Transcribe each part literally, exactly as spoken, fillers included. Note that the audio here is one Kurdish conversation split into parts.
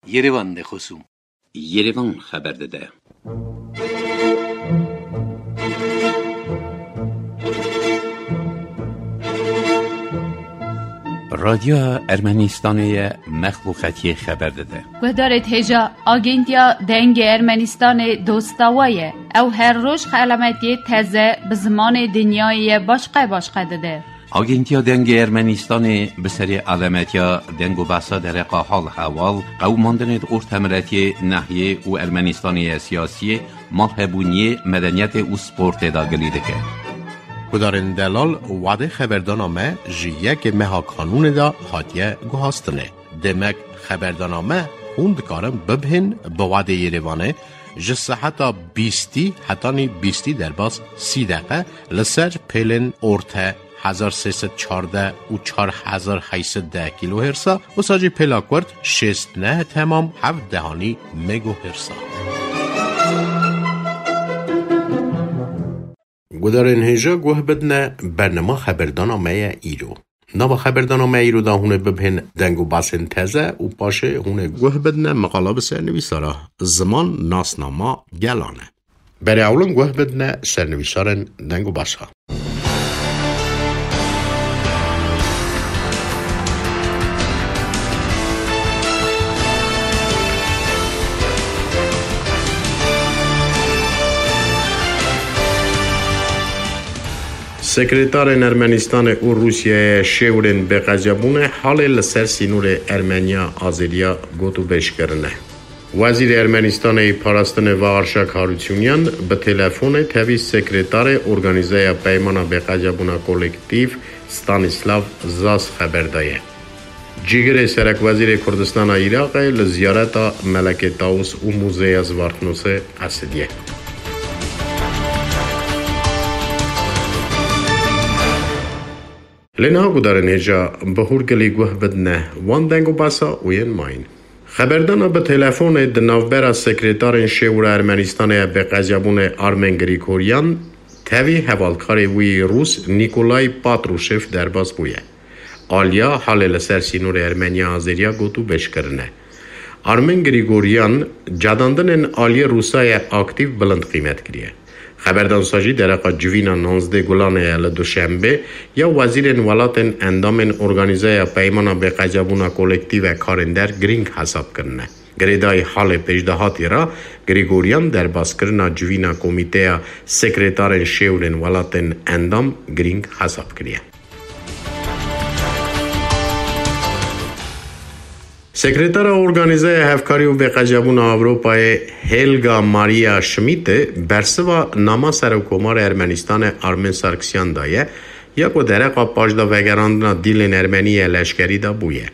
Yerevan de xosûm. Yerevan xeber dide. Radyoya Ermenistanê ye, mexluqetiyê xeber dide. Guhdarê hêja, Agentiya Dengê Ermenistanê dosta we ye. Ew her roj xelametiyê teze bi zimanê dinyayê ye başqe başqe dide. Agentiya Dengê Ermenistanê bi serê alemetiya deng û behsa dereqa hal hewal, qewimandinê di ortemiletiyê, nehiyê û Ermenistanê ye siyasiyê, malhebûniyê, medeniyetê û sportê de gilî dike. Gudarên delal, wadê xeberdana me ji yekê meha kanûnê de hatiye guhastinê. Demek xeberdana me hûn dikarin bibihên bi wadê Yerevanê ji seheta bîstî hetanî bîstî derbas sî deqe li ser pêlên orte hezar sê sed çardeh û çar hezar heyt sed deh kîlohêrsa, wisa jî pêla kurt şêst neh temam heft dehanî megohêrsa. Gudarên hêja guh bidine, bernama xeberdana me ye îro. Nava xeberdana me îro de hûn ê bibihên deng û basên teze û paşê hûn ê guh bidine meqala bi sernivîsara Ziman nasnama gelan e. Berê ewlin guh bidine sernivîsarên deng û basa. Sekretarên Ermenistanê û Rûsyayê şêwirên bêqeziyabûnê halê li ser sînorê Ermeniya-Azeriya gotûbêj kirine. Wezîrê Ermenistanê yê Parastinê Vaharşak Harutyunyan bi telefonê tevî sekretarê Organîzeya Peymana Bêqeziyabûna Kolektîf Stanislav Zas xeber daye. Cîgirê serekwezîrê Kurdistana Iraqê li ziyareta Melekê Tawus û Muzeya Zwartnûsê Esidiye. Lê niha gudarên hêja bi hûrgilî guh bidine wan deng û basa û yên mayîn. Xeberdana bi telefonê di navbera sekretarên şêwira Ermenistanê ya bêqeziyabûnê Armen Grigoryan tevî hevalkarê wî yê Rûs Nikolay Patruşev derbas bûye. Aliya halê li ser sînorê Ermeniya-Azeriya gotûbêj kirine. Armen Grigoryan cadandinên aliyê Rûsayê aktîf bilind qîmet kiriye. Xeberdan sa jî dereqa civîna nonzdeh Gulanê ye li Duşenbê ya wezîrên welatên endamên Organîzeya Peymana Bêqeziyabûna Kolektîf e karên der girîng hesab kirine. Girêdayî halê pêşdahatî re Grigoryan derbaskirina civîna Komîteya Sekretarên Şêwirên Welatên Endam girîng hesab kiriye. Sekretara Organîzeya Hevkarî û Bêqecebûna Ewropayê Helga Maria Schmidtê bersiva nama Serokkomarê Ermenistanê Armen Sarkisyan daye, ya ku dereqa paşdavegerandina dîlên ermenî yê leşkerî de bûye.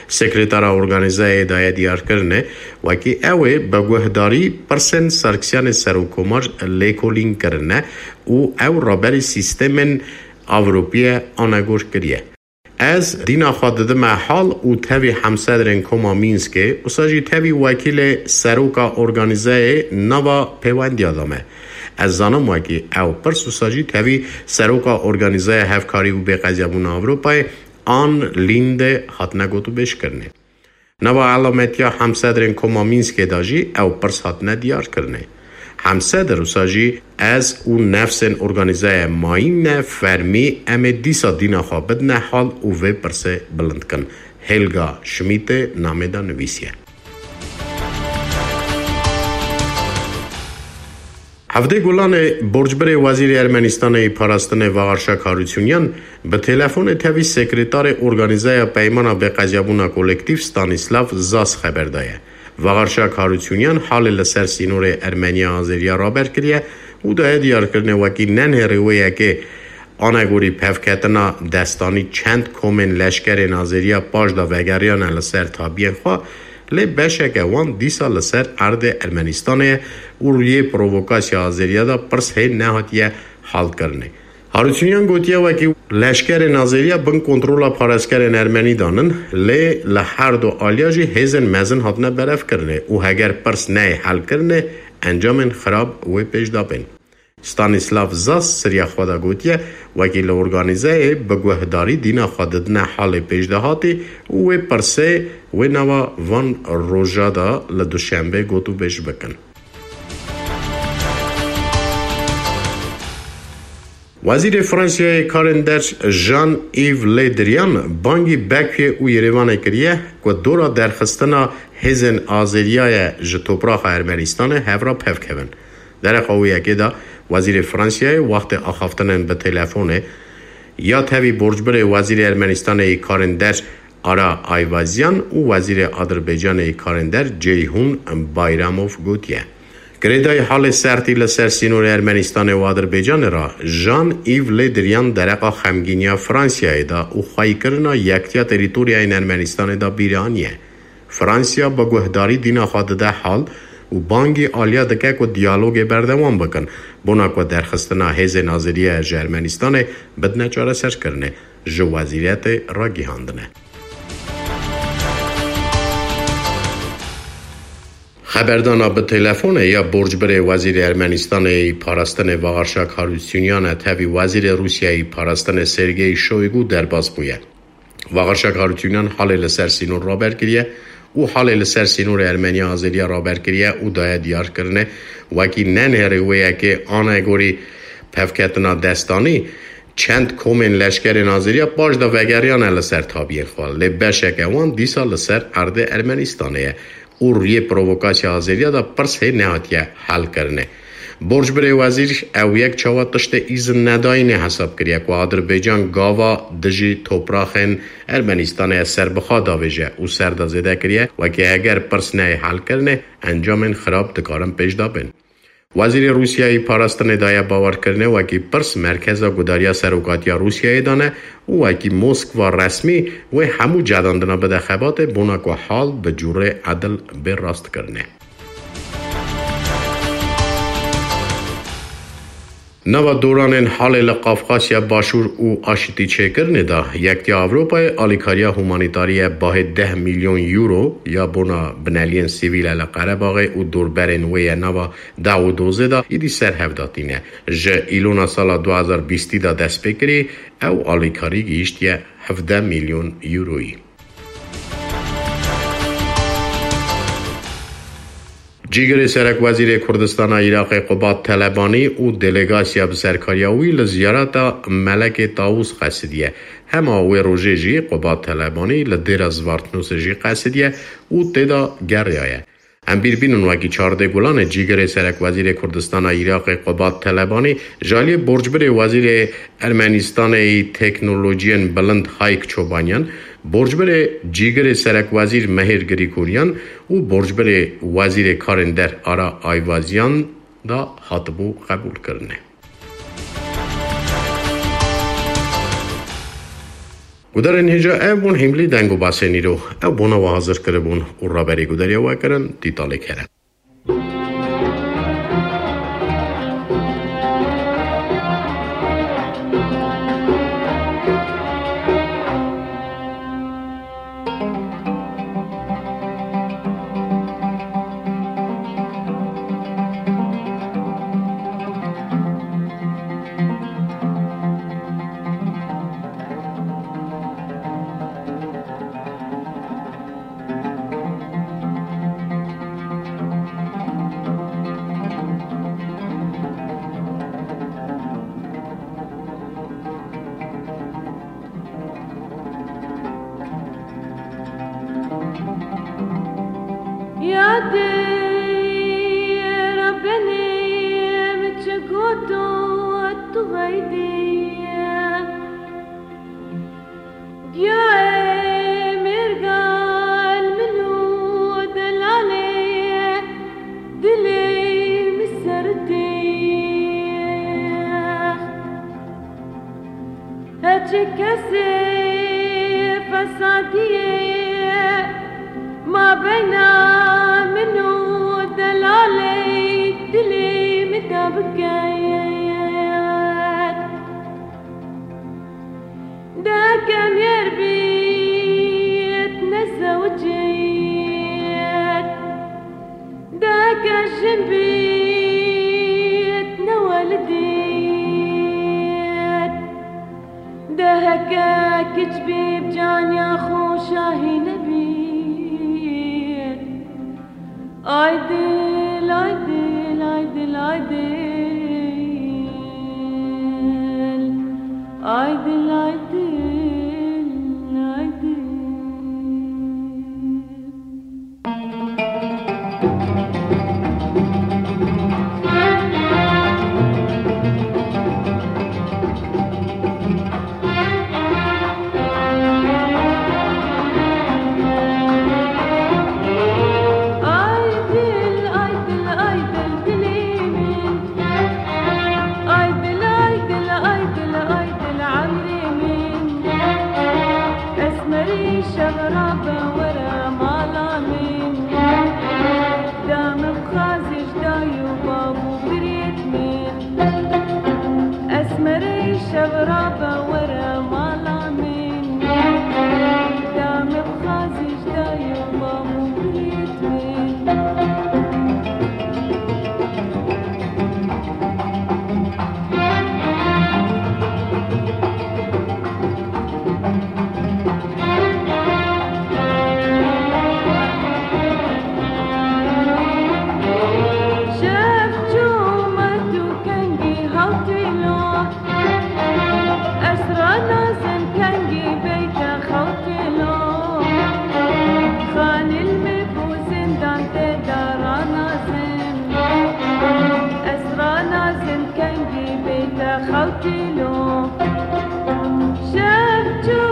Sekretara Organîzeyê daye diyarkirinê, wekî ew ê bi guhdarî pirsên Sarkisyanê Serokkomar lêkolîn kirine û ew raberî sîstemên Ewropî ye anegor kiriye. Ez dîna xwe didime hal û tevî hemsedrên Koma Mînskê, wisa jî tevî wekîlê seroka organîzeyê nava pêwendiya de me. Ez zanim wekî ew pirs wisa jî tevî seroka Organîzeya Hevkarî û Bêqecebûna Ewropayê Ann Linde hatine gotûbêjkirinê. Nava elametiya hemsedrên Koma Mînskê de jî ew pirs hatine diyarkirinê. Hemsedr wisa jî ez û nefsên organîzeye mayîn ne fermî em ê dîsa dîna xwe bidine hal û vê pirsê bilind kin. Helga Schmidtê namê de nivîsiye. Hevdê Gulanê borcbirê Wezîrê Ermenistanê yê Parastinê Vaharşak Harutyunyan bi telefonê tevî sekretarê Organîzeya Peymana Bêqecebûna Kolektîf Stanislav Zas xeber daye. Vaharşak Harutyunyan halê li ser sînorê Ermeniya-Azeriya raber kiriye û daye diyarkirinê wekî nenhêrî wê yekê anegorî pevketina destanî çend komên leşkerên Azeriya paşdavegeriyane li ser tabiyên xwe, lê beşeke wan dîsa li ser erdê Ermenistanê ye û rûyê provokasya Azeriya de pirs hê nehatiye halkirinê. Harutyunyan gotiye wekî leşkerên Azeriya bin kontrola parêzkerên Ermenî danin, lê li her du aliya jî hêzên mezin hatine berevkirinê û heger pirs neyê helkirinê, encamên xirab wê pêş de bên. Stanislav Zas siriya xwe de gotiye, wekî li organîzeyê bi guhdarî dîna xwe didine halê pêşdehatî û wê pirsê wê nava van roja de li duşembê gotûbêj bikin. Wezîrê Fransiyayê karên der Jean-Yves Le Drian bangî Bekuyê û Yerêvanê kiriye ku dora derxistina hêzên Azeriya ye ji topraxa Ermenistanê hev re pevkevin. Dereqa wê yekê de Wezîrê Fransiyayê wextê axaftinên bi telefonê ya tevî borcbirê Wezîrê Ermenistanê yê karên der Ara Ayvazyan û Wezîrê Adirbaycanê yê karên der Ceyhun Bayramov gotiye. Girêdayî halê sertî li ser sînorê Ermenistanê û Adirbaycanê re Jean-Yves Le Drian dereqa xemgîniya Fransiyayê da û xweyîkirina yektiya terîtoryayên Ermenistanê da bîre aniye. Fransiya bi guhdarî dîna xwe dide hal û bangî aliya dike ku diyalogê berdewam bikin, bona ku derxistina hêzên Azeriya ji Ermenistanê bidine çareserkirinê, ji wezîretê ragihandine. Xeberdana bi telefonê ya borcbirê Wezîrê Ermenistanê yî Parastinê Vaxarşak Harutyunyan e tevî Wezîrê Rûsyayê yî Parastinê Sergey Shoygu derbas bûye. Vaxarşak Harutyunyan halê li ser sînor raber kiriye û halê li ser sînorê Ermeniya Azeriya raber kiriye û daye diyar kirine, wekî nenêrê wê yekê anegorî pevketina destanî, çend komên leşkerên Azeriya paş de vegeriyane li ser tabiyên xwe, lê beşeke wan dîsa li ser erdê Ermenistanê ye û rûyê provokasya Azeriya de pirs hê nehatiye helkirinê. Borcbirê wezîr ew yek çawa tiştê îzin nedayînê hesab kiriye ku Adirbaycan gava dijî topraxên Ermenistanê serbixwe davêje û ser de zêde kiriye, wekî heger pirs neyê helkirinê, encamên xirab dikarin pêş de bên. Wezîrê Rûsyayê parastinê daye bawerkirinê wekî pirs merkeza gudariya serokatiya Rûsyayê de ne û wekî Moskva resmî wê hemû cedandina bide xebatê bona ku hal bi cûrê edil bê rastkirinê. Nava doranên halê li Qafqasya Başûr û aşitî çêkirinê de, Yektiya Ewropayê alîkariya humanîtarî ye bahê deh milyon euro ya bona bineliyên sivîl e li Qerebaxê û dorberên wê ye nava deh û dozê de îdî ser hev datîne. Ji Îlona sala du hezar bîstî de dest pê kirî, ew alîkarî gihîştiye hevdeh milyon euroyî. Cîgirê Serekwezîrê Kurdistana Iraqê Qubat Telebanî û delegasiya bi serkariya wî li ziyareta Melekê Tawûs qesidiye. Hema wê rojê jî Qubat Telebanî li dêra Zvartnûsê jî qesidiye û tê de geriyaye. Em bîr bînin wekî çardê Gulanê cîgirê Serekwezîrê Kurdistana Iraqê Qubat Telebanî ji aliyê borcbirê Wezîrê Ermenistanê yî Teknolojiyên Bilind Hayk Çobanyan, borcbirê cîgirê Serekwezîr Mehêr Grîgoryan û borcbirê Wezîrê Karên Der Ara Ayvazyan da hatibû qebûlkirinê. Gudarên hêja ev bûn hîmlî deng û basên îro. Ew bona we hazir kiribûn û raberî gudariya we kirin Tîtalê Kerem. Yadê Rebbenê min çi got û tu xeydî. Giyayê mêrgal min û delalê dilê min serdî. Heçi kesê fesadiyê mabeyna min û delalê dilê min de biket. Deke mêr bît nezewicît, deke jin bît newelidî. Aydil, aydil, aydil, aydil. Aydil, aydil, aydil. Aydil, aydil, aydil dilê min. Aydil, aydil, aydil, aydil emrê min. Esmerî şev rabe were mala min. Dame bixwazî ji dayî û bav û birêt min. Esmerî şev rabe were mala min. Dame bixwazî ji dayî û bav û birêt min. Şev çû me tu kengî hewtî lo. Esra nazim kengî beyte xewtî lo. Xanîl me bû zindan tê de ranazim. Esra nazim kengî beyte xewtî lo. Şev çû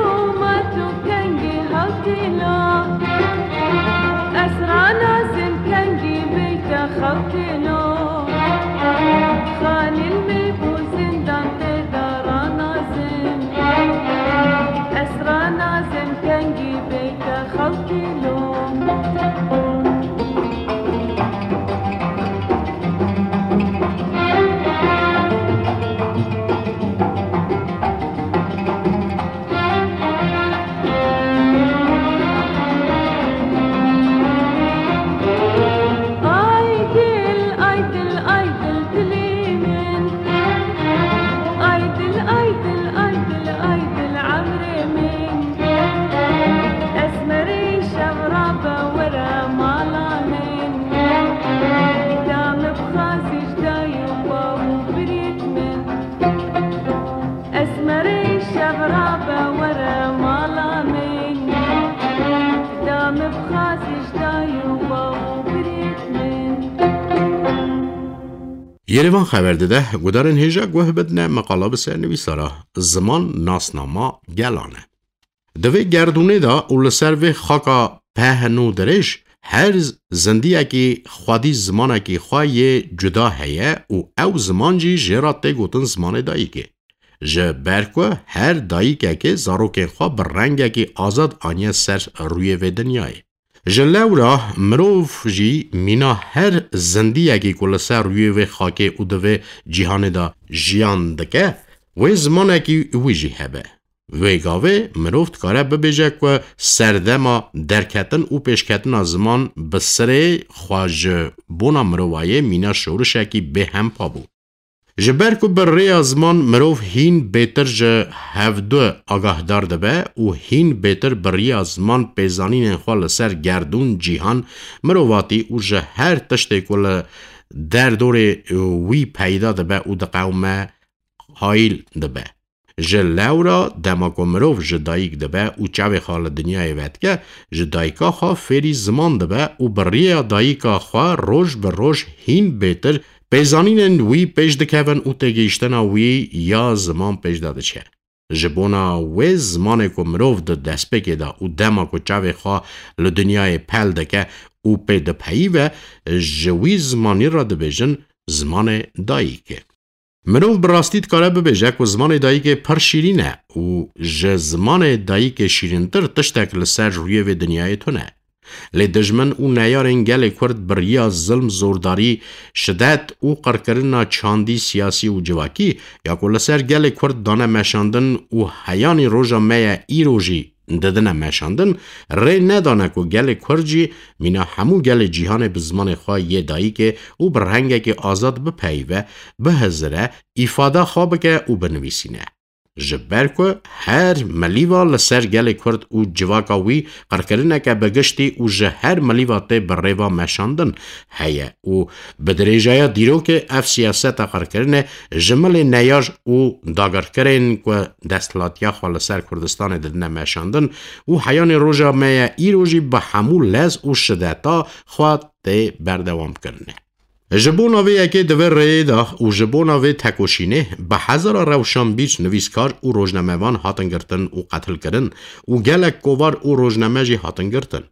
me tu kengî hewtî lo. Esra nazim kengî beyte xewtî lo. Xanîl me bû zindan tê de ranazim. Esra nazim kengî beyte xewtî lo. Aydil, aydil, aydil dilê min. Aydil, aydil, aydil, aydil emrê min. Esmerî şev rabe were mala min. Dame bixwazî ji dayî û bav û birêt min. Esmerî şev rabe were mala min. Dame bixwazî ji dayî û bav û birêt min. Yerevan xeber dide, gudarên hêja guh bidine meqala bi ser nivîsara Ziman nasnama gelan e. Di vê gerdûnê de û li ser vê xaka pehn û dirêj, her zindiyekî xwedî zimanekî xwe yê cuda heye û ew ziman jî jê re tê gotin zimanê dayikê. Ji ber ku her dayikekê zarokên xwe bi rengekî azad aniye ser rûyê vê dinyayê. Ji lewra mirov jî mîna her zindiyekî ku li ser rûyê vê xakê û di vê cîhanê de jiyan dike, wê zimanekî wî jî hebe. Vê gavê mirov dikare bibêje ku serdema derketin û pêşketina ziman bi sirê xwe ji bona mirovayê mîna şorişekî bêhempa bû. Ji ber ku bi rêya ziman mirov hîn bêtir ji hevdu agahdar dibe û hîn bêtir bi rêya ziman pêzanînên xwe li ser gerdûn, cîhan, mirovatî û ji her tiştê ku li derdorê wî peyda dibe û diqewime, hayîl dibe. Ji lewra dema ku mirov ji dayik dibe û çavê xwe li dinyayê vedike, ji dayika xwe fêrî ziman dibe û bi rêya dayika xwe roj bi roj hîn bêtir pêzanînên wî pêş dikevin û têgihiştina wî ya ziman pêş de diçe. Ji bona wê zimanê ku mirov di destpêkê de û dema ku çavê xwe li dinyayê pel dike û pê dipeyive, ji wî zimanî re dibêjin zimanê dayikê. Mirov bi rastî dikare bibêje ku zimanê dayikê pir şîrîn e û ji zimanê dayikê şîrîntir tiştek li ser rûyê vê dinyayê tune. Lê dijmin û neyarên gelê Kurd bi riya zilm, zordarî, şidet û qirkirina çandî, siyasî û civakî ya ku li ser gelê Kurd dane meşandin û heyanî roja me ye îro jî didine meşandin, rê nedane ku gelê Kurd jî mîna hemû gelê cîhanê bi zimanê xwe yê dayikê û bi rengekî azad bipeyive, bihizire, îfada xwe bike û binivîsîne. Ji ber ku her milîva li ser gelê Kurd û civaka wî qirkirineke bi giştî û ji her milîva tê bi rêva meşandin heye û bi dirêjaya dîrokê ev siyaseta qirkirinê ji milê neyaj û dagirkerên ku desthilatiya xwe li ser Kurdistanê didine meşandin û heyanê roja me ye îro jî bi hemû lez û şideta xwe tê berdewamkirinê. Ji bona vê yekê di vê rêyê de û ji bona vê tekoşînê bi hezara rewşanbîr, nivîskar û rojnamevan hatin girtin û qetilkirin û gelek kovar û rojname jî hatin girtin.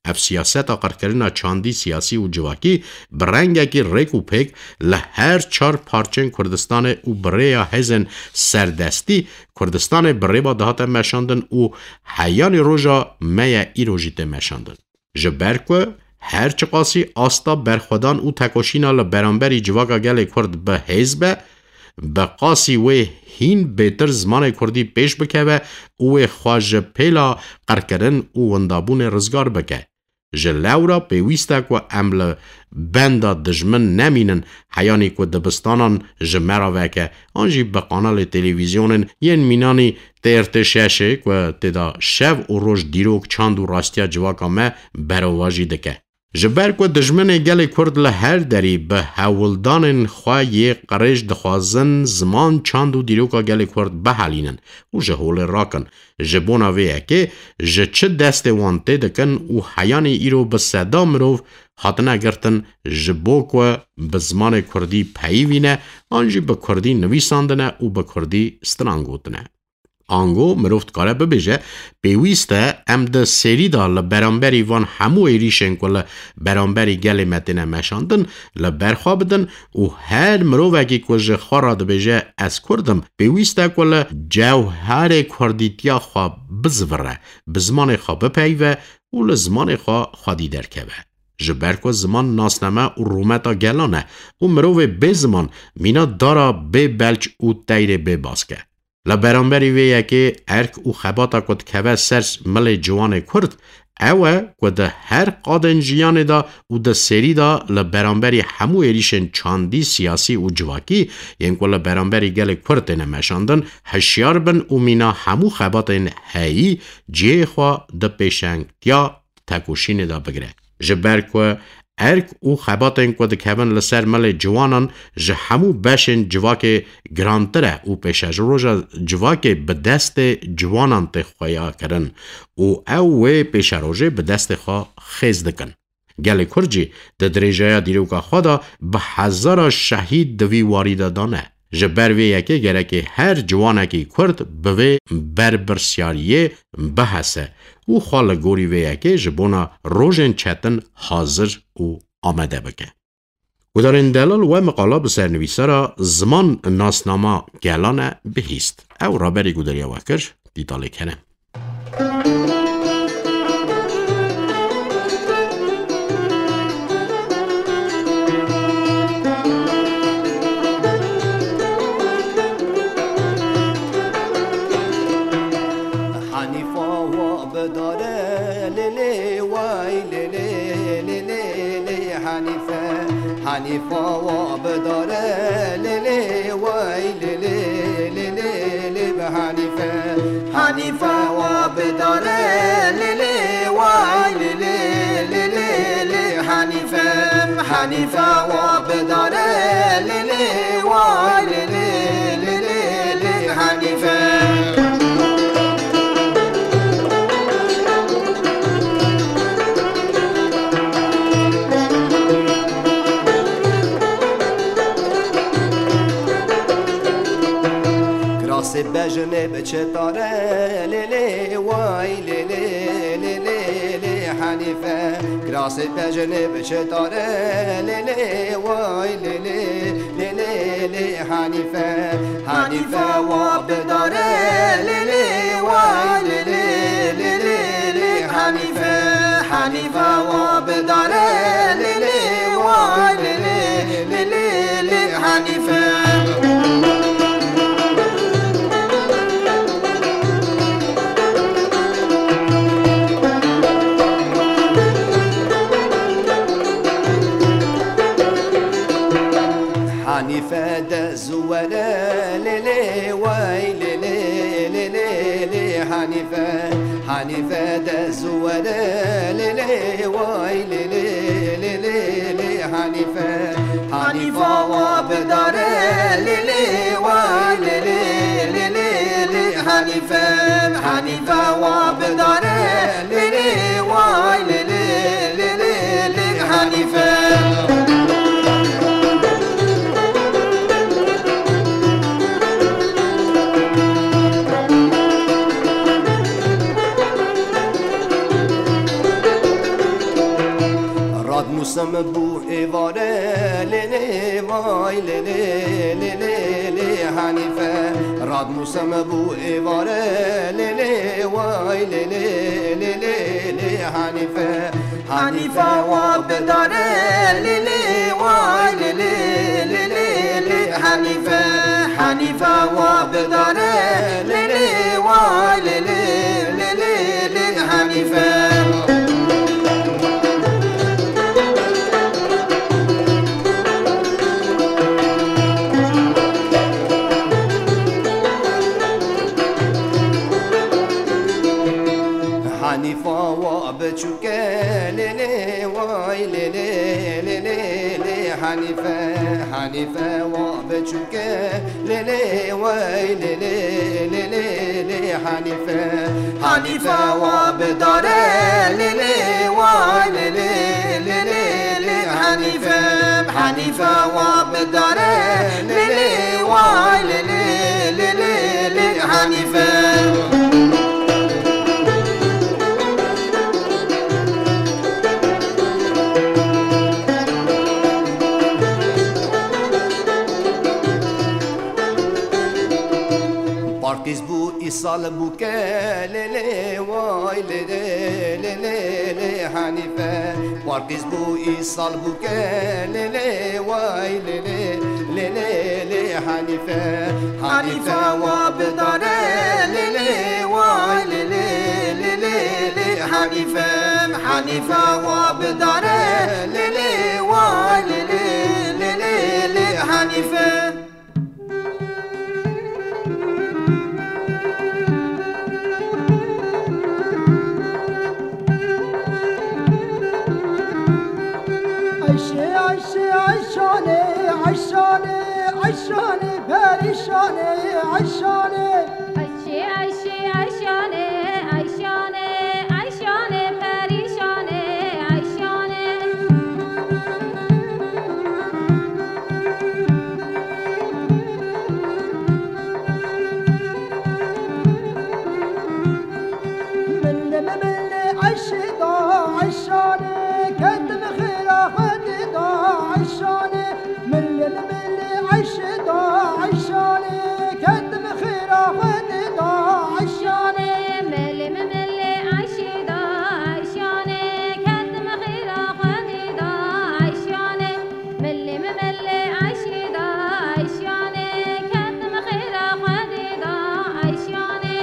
Ev siyaseta qirkirina çandî siyasî û civakî bi rengekî rêk û pêk li her çar parçên Kurdistanê û bi rêya hêzên serdestî Kurdistanê bi rêva dihate meşandin û heyanî roja me ye îro jî tê meşandin. Ji ber ku her çiqasî asta berxwedan û tekoşîna li beramberî civaka gelê Kurd bi hêz be, bi qasî wê hîn bêtir zimanê Kurdî pêş bikeve û wê xwe ji pêla qirkirin û windabûnê rizgar bike. Ji lewra pêwîst e ku em li benda dijmin nemînin, heyanî ku dibistanan ji me re veke, an jî bi kanalê televîzyonên yên mînanî T R T şeş ê ku tê de şev û roj dîrok, çand û rastiya civaka me berovajî dike. Ji ber ku dijminê gelê Kurd li her derî bi hewldanên xwe yê qirêj dixwazin ziman, çand û dîroka gelê Kurd bihelînin û ji holê rakin. Ji bona vê yekê ji çi destê wan tê dikin û heyanî îro bi seda mirov hatine girtin ji bo ku bi zimanê Kurdî peyivîne an jî bi Kurdî nivîsandine û bi Kurdî stran gotine. Ango mirov dikare bibêje, pêwîst e em di serî de li beramberî van hemû êrîşên ku li beramberî gelê me têne meşandin, li ber xwe bidin û her mirovekî ku ji xwe re dibêje ez Kurd im, pêwîst e ku li cewherê Kurdîtiya xwe bizivire, bi zimanê xwe bipeyive û li zimanê xwe xwedî derkeve. Ji ber ku ziman nasname û rûmeta gelan e û mirovê bê ziman mîna dara bê belç û teyrê bê bask e. Li beramberî vê yekê erk û xebata ku dikeve ser milê ciwanê Kurd, ew e ku di her qadên jiyanê de û di serî de li beramberî hemû êrîşên çandî, siyasî û civakî yên ku li beramberî gelê Kurd têne meşandin, hişyar bin û mîna hemû xebatên heyî cihê xwe di pêşengtiya tekoşînê de bigire. Ji ber ku erk û xebatên ku dikevin li ser milê ciwanan ji hemû beşên civakê girantir e û pêşeroja civakê bi destê ciwanan tê xweyakirin û ew wê pêşerojê bi destê xwe xêz dikin. Gelê Kurd jî di dirêjaya dîroka xwe de bi hezara şehîd di vî warî de dane. Ji ber vê yekê gerekê her ciwanekî Kurd bi vê berpirsyariyê bihese û xwe li gorî vê yekê ji bona rojên çetin hazir û amade bike. Gudarên delal, we miqala bi ser nivîsara ziman nasnama gelan e bihîst. Ew raberî gudariya we kir, Dîtalê Kerem. Hanifa wa bidare lê lê, way lê lê, lê lê lê Hanife. Hanifa wa bidare lê lê, way lê lê, lê lê lê bi Hanife. Hanifa wa bidare lê lê, way lê lê, lê lê lê Hanife. Hanifa wa bidare lê lê, way lê lê, lê lê lê Hanife. Kirasê bejinê bi çi tare, lê lê, way lê lê, lê lê lê Hanife. Kirasê bejinê bi çi tare, lê lê, way lê lê, lê lê lê Hanife. Hanife wa bidare lê lê, way lê lê, lê lê lê Hanife. Hanife wa bidare lê lê, way lê lê, lê lê lê Hanife. Hanife de zuwere lê lê, way lê lê, Hanife dest were lê lê way lê lê lê lê lê Hanife. Hanifa wa bidare lê lê way lê lê lê lê lê Hanife. Hanifa wa bidare lê lê way lê lê lê lê lê Hanife. Rad musem bû êvare lê lê vay lê lê lê lê lê Hanife. Rad musem bû êvare lê lê vay lê lê lê lê lê Hanife. Hanife wa bidare lê lê way lê lê lê lê lê Hanife. Hanife wa bidare lê lê way lê lê lê lê lê Hanife. Hanifa wa biçûke lê lê way lê lê lê lê lê Hanife. Hanife wa biçûke lê lê way lê lê lê lê lê Hanife. Hanife wa bidare lê lê way lê lê lê lê lê Hanife. Hanife wa bidare lê lê way lê lê lê lê lê Hanife. Parkîz bû îsal bûke lê lê way lê lê lê lê lê Hanife. Parkîz bû îsal bûke lê lê way lê lê lê lê lê Hanife. Hanife wa bidare lê lê way lê lê lê lê lê Hanife. Hanife wa bidare lê lê way lê lê lê lê lê Hanife. Ayşe, Ayşe, Ayşane, Ayşane, Ayşane, perîşane, Ayşane. Ayşe, Ayşe, Ayşane, Ayşane, Ayşane, perîşane, Ayşane. Millim milli Ayşe da Ayşane, ketim xêra Xwedê da Ayşane. Millim milli Ayşe da Ayşane, ketim xêra Xwedê da Ayşane. Millim milli Ayşe da Ayşane, ketim xêra Xwedê da Ayşane. Milê min milê Eyşî da Eyşanê, ketim xêra Xwedê da Eyşanê.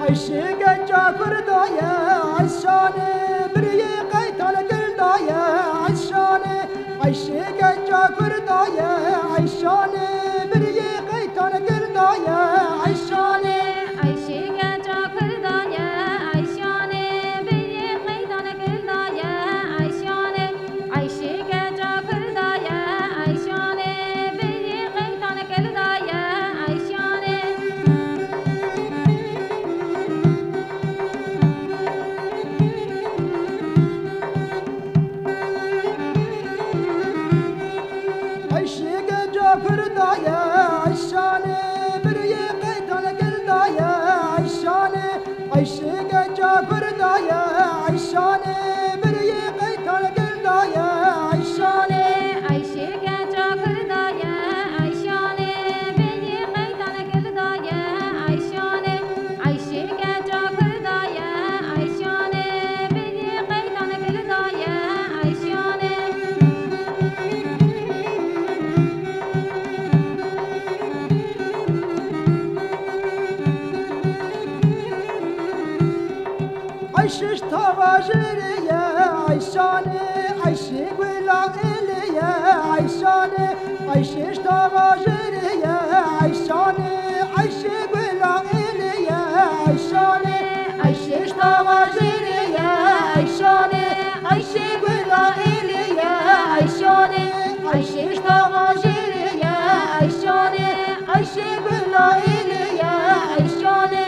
Eyşê keça Kurda ye Eyşanê, biriyê qeytan Kurda ye Eyşanê. Eyşê keça Kurda ye Eyşanê, biriyê qeytan Kurda ye Eyşanê. Eyşê keça Kurda ye Eyşanê, biriyê qeytan Kurda ye Eyşanê. Eyşê keça Kurda ye Eyşanê, biriyê qeytan Kurda ye Eyşanê. Eyşê keça Kurda ye Şanê Ayşe ştava jêrê ye, Ayşanê Ayşe gula êlê ye, Ayşanê Ayşe ştava jêrê ye, Ayşanê Ayşe gula êlê ye, Ayşanê Ayşe ştava jêrê ye, Ayşanê Ayşe gula êlê ye, Ayşanê.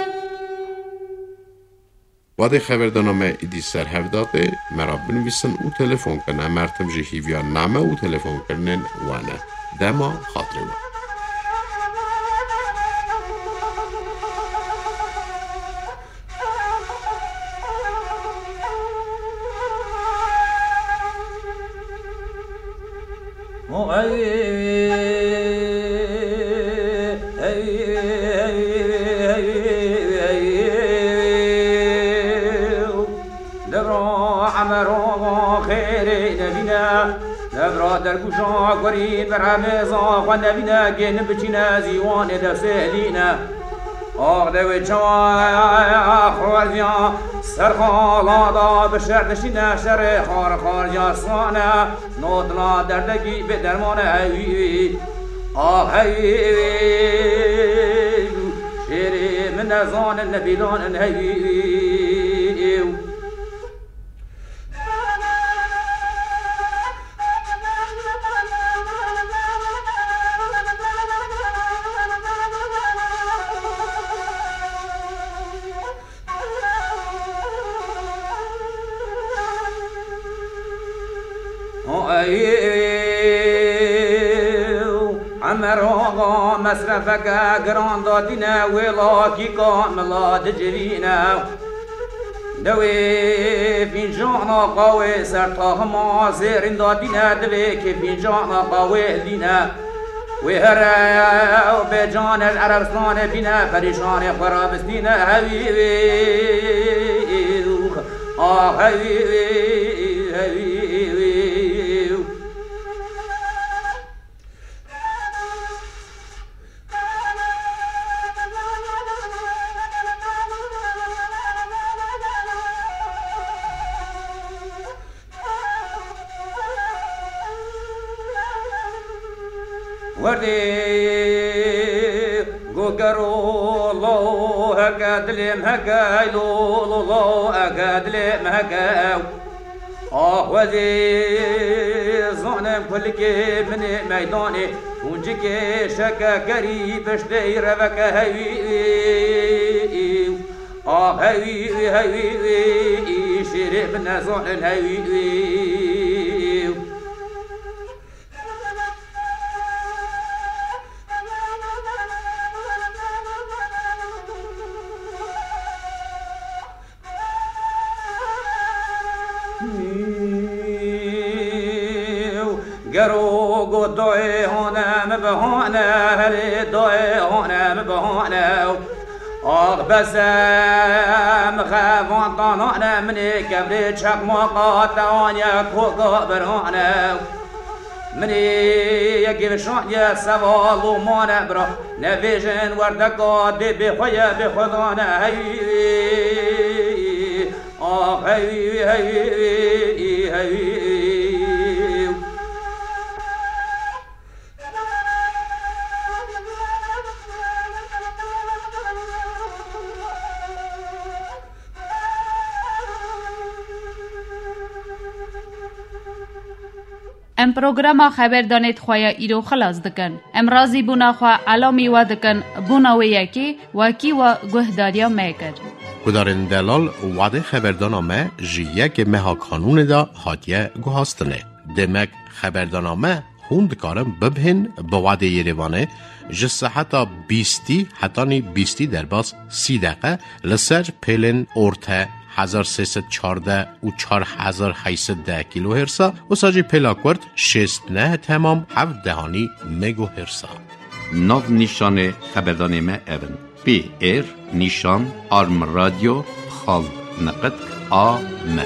Wadê xeberdana me îdî ser hev datê, me re binivîsin û telefon kin. Em her tim jî hîviya name û telefonkirinên we ne. Dema xatirê we. Devra Emero xêrê nebîne, devra dergûşa gurî beremêza xwe nebîne, gênin biçîne zîwanê destê elîne. Ax de wê çawa xwardiya ser xala da bi şer dişîne, şerê xar xwardiya sane, notla derdekî bê dermane hewî. Ax hewî, şêrê min nezanin nebîlanin hewî. Ew Emer Axa mesrefeke giran datîne, wê lakîka mila dicivîne. Dewê fîncana qawê ser tahima zêrîn datîne, divê kê fîncana qawê hildîne. Wê here ew bê can ez Erebstanê bîne, perîşanê xwe rabistîne, hewî wî, ah, hewî wî, hewî wî. Werdê go gero lo heke dilê min heke, lo, lo, lo, heke dilê min heke. Ax wezê zanim kulikê min ê meydanê, hûncikê şeke gerî piştê reveke hewî. Ax hewî, hewî, şêrê min nezanin hewî. Gero go doyê hone mi bihane, herê doyê hone mi bihane. Ax bese mi xevan tanane, minê kevrê çekmaqa te aniye koka birane. Minê yekê vişandiye seval û mane bira. Nevêjin werdeka dê bê xwe ye, bê xwe dane heyî. Ax heyî, heyî, heyî. Em programa xeberdanê di xwe ya îro xilas dikin. Em razîbûna xwe elamî we dikin, bûna wê yekê wekî we guhdariya me kir. Guhdarên delal, wadê xeberdana me ji yekê meha Kanûnê de hatiye guhastinê. Demek xeberdana me hûn dikarin bibihên bi wadê Yerêvanê ji seheta bîstî hetanî bîstî derbas sî deqe li ser pêlên orte hezar sê sed çardeh û çar hezar heyt sed deh kîlohêrsa, wisa jî pêla kurt şêst neh temam heft dehanî megohêrsa. Nav nîşanê xeberdanê me ev in: P R nîşan arm radio xal niqit A M.